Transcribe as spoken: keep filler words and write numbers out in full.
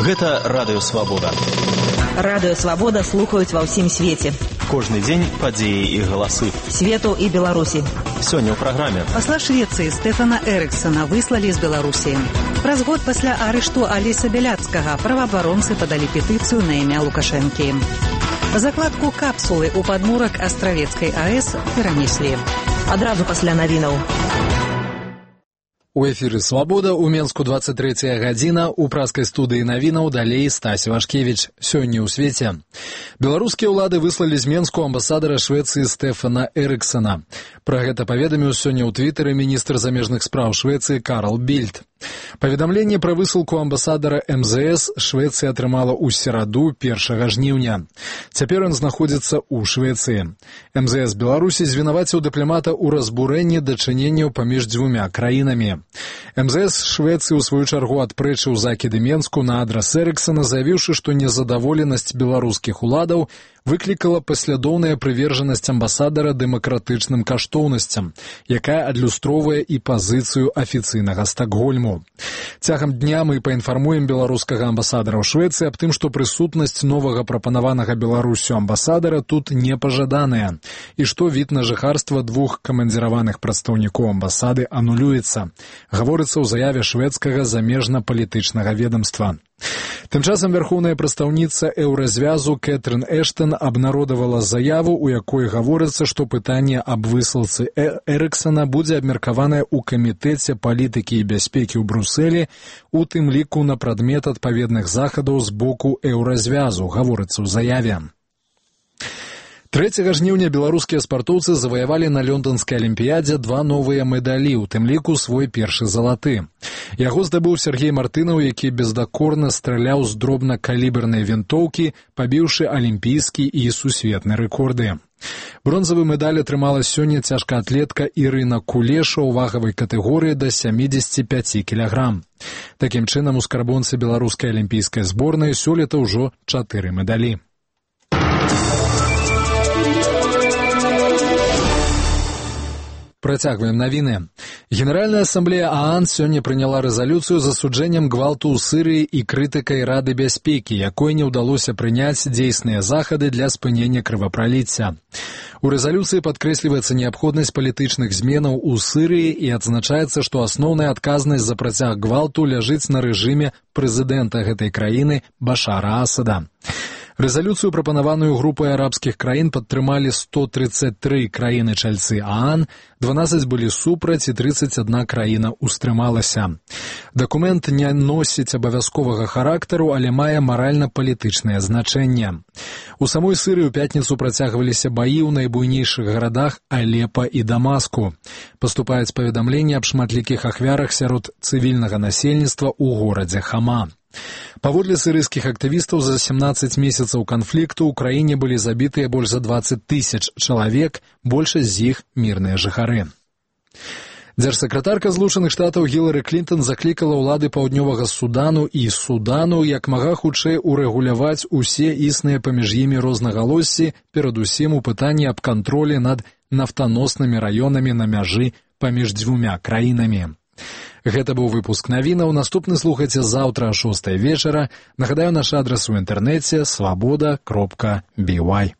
Гэта Радыё Свабода. Радыё Свабода слухаюць ва ўсім свеце. Кожны дзень падзеі і галасы. Свету і Беларусі. Сёння ў праграме. Пасла Швецыі Стэфана Эрыксана выслалі з Беларусі. Праз год пасля арышту Алеся Бяляцкага праваабаронцы падалі петыцыю на імя Лукашэнкі. Закладку капсулы ў падмурак Астравецкай АЭС перанеслі. Адразу пасля навінаў. У эфіры «Свабода» у Менску двадцать третья гадзіна, у праскай студыі навінаў далей Стась Вашкевіч. Сёння ў свеце. Беларускія ўлады выслалі з Менску амбасадара Швецыі Стэфана Эрыксана. Пра гэта паведаміў сёння ў твітары міністр замежных спраў Швецыі Карл Більд. Паведамленне пра высылку амбасадара эм зэ эс Швецыя атрымала ў сераду першага жніўня. Цяпер ён знаходзіцца ў Швецыі. эм зэ эс Беларусі звінаваціў дыпламата ў разбурэнні дачыненняў паміж дзвюмя краінамі. эм зэ эс Швецыі ў сваю чаргу адпрэчыў закіды Менску на адрас Эрыксана, заявіўшы, што незадаволенасць беларускіх уладаў выклікала паслядоўная прывержанасць амбасадара дэмакратычным каштоўнасцям, якая адлюстроўвае і пазіцыю афіцыйнага Стакгольму. Цягам дня мы паінфармуем беларускага амбасадара ў Швецыі аб тым, што прысутнасць новага прапанаванага Беларусю амбасадара тут непажаданая, і што від на жыхарства двух камандзіраваных прадстаўнікоў амбасады анулюецца, гаворыцца ў заяве шведскага замежна-палітычнага ведамства. Тым часам вярхоўная прадстаўніца еўразвязу Кэтрын Эштон абнародавала заяву, у якой гаворыцца, што пытанне аб высылцы Эрыксана будзе абмеркаванае ў камітэце палітыкі і бяспекі ў Брусэлі, у тым ліку на прадмет адпаведных захадаў з боку еўразвязу, гаворыцца ў заяве. трэцяга жніўня беларускія спартоўцы заваявалі на лёндонскай алімпіядзе два новыя медалі, у тым ліку свой першы залаты. Яго здабыў Сергей Мартынаў, які бездакорна страляў з дробнакалібернай вінтоўкі, пабіўшы алімпійскі і сусветны рэкорды. Бронзавы медаль атрымала сёння цяжкаатлетка Ірына Кулеша ў вагавай катэгорыі да сямідзесяці пяці кілаграм. Такім чынам, у скарбонцы беларускай алімпійскай зборнай сёлета ўжо чатыры медалі. Працягваем навіны. Генеральная асамблея ААН сёння прыняла рэзалюцыю з асуджэннем гвалту ў Сырыі і крытыкай Рады бяспекі, якой не ўдалося прыняць дзейсныя захады для спынення крывапраліцця. У рэзалюцыі падкрэсліваецца неабходнасць палітычных зменаў у Сырыі і адзначаецца, што асноўная адказнасць за працяг гвалту ляжыць на рэжыме прэзідэнта гэтай краіны Башара Асада. Рэзалюцыю, прапанаваную групай арабскіх краін, падтрымалі сто трыццаць тры краіны-чальцы ААН, дванаццаць былі супраць і трыццаць адна краіна ўстрымалася. Дакумент не носіць абавязковага характару, але мае маральна-палітычнае значэнне. У самой Сырыі ў пятніцу працягваліся баі ў найбуйнейшых гарадах Алепа і Дамаску. Паступаюць паведамленні аб шматлікіх ахвярах сярод цывільнага насельніцтва ў горадзе Хама. Паводле сырыйскіх актывістаў, за сямнаццаць месяцаў канфлікту ў краіне былі забітыя больш за дваццаць тысяч чалавек, большасць з іх мірныя жыхары. Дзяржсакратарка Злучаных Штатаў Гілары Клінтон заклікала ўлады паўднёвага Судану і Судану як мага хутчэй урэгуляваць усе існыя паміж імі рознагалоссі, перадусім у пытанні аб кантролі над нафтаноснымі раёнамі на мяжы паміж дзвюмя краінамі. Гэта быў выпуск навінаў. Наступны слухайце заўтра о шостай вечара. Нагадаю, наш адрас у інтэрнэце свабода кропка бі вай.